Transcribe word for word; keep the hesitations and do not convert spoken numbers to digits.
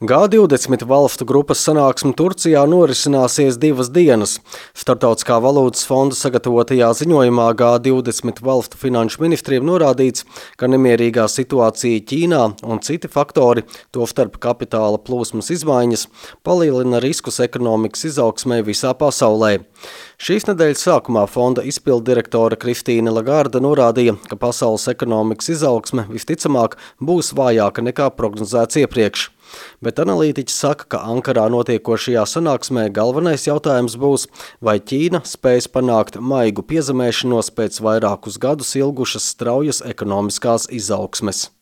G divdesmit valstu grupas sanāksme Turcijā norisināsies divas dienas. Starptautiskā valūtas fonda sagatavotajā ziņojumā G divdesmit valstu finanšu ministriem norādīts, ka nemierīgā situācija Ķīnā un citi faktori, tostarp kapitāla plūsmas izmaiņas, palielina riskus ekonomikas izaugsmē visā pasaulē. Šīs nedēļas sākumā fonda izpilddirektore Kristīne Lagarde norādīja, ka pasaules ekonomikas izaugsme visticamāk būs vājāka nekā prognozēts iepriekš. Bet analītiķi saka, ka Ankarā notiekošajā sanāksmē galvenais jautājums būs, vai Ķīna spēs panākt maigu piezemēšanos pēc vairākus gadus ilgušas straujas ekonomiskās izaugsmes.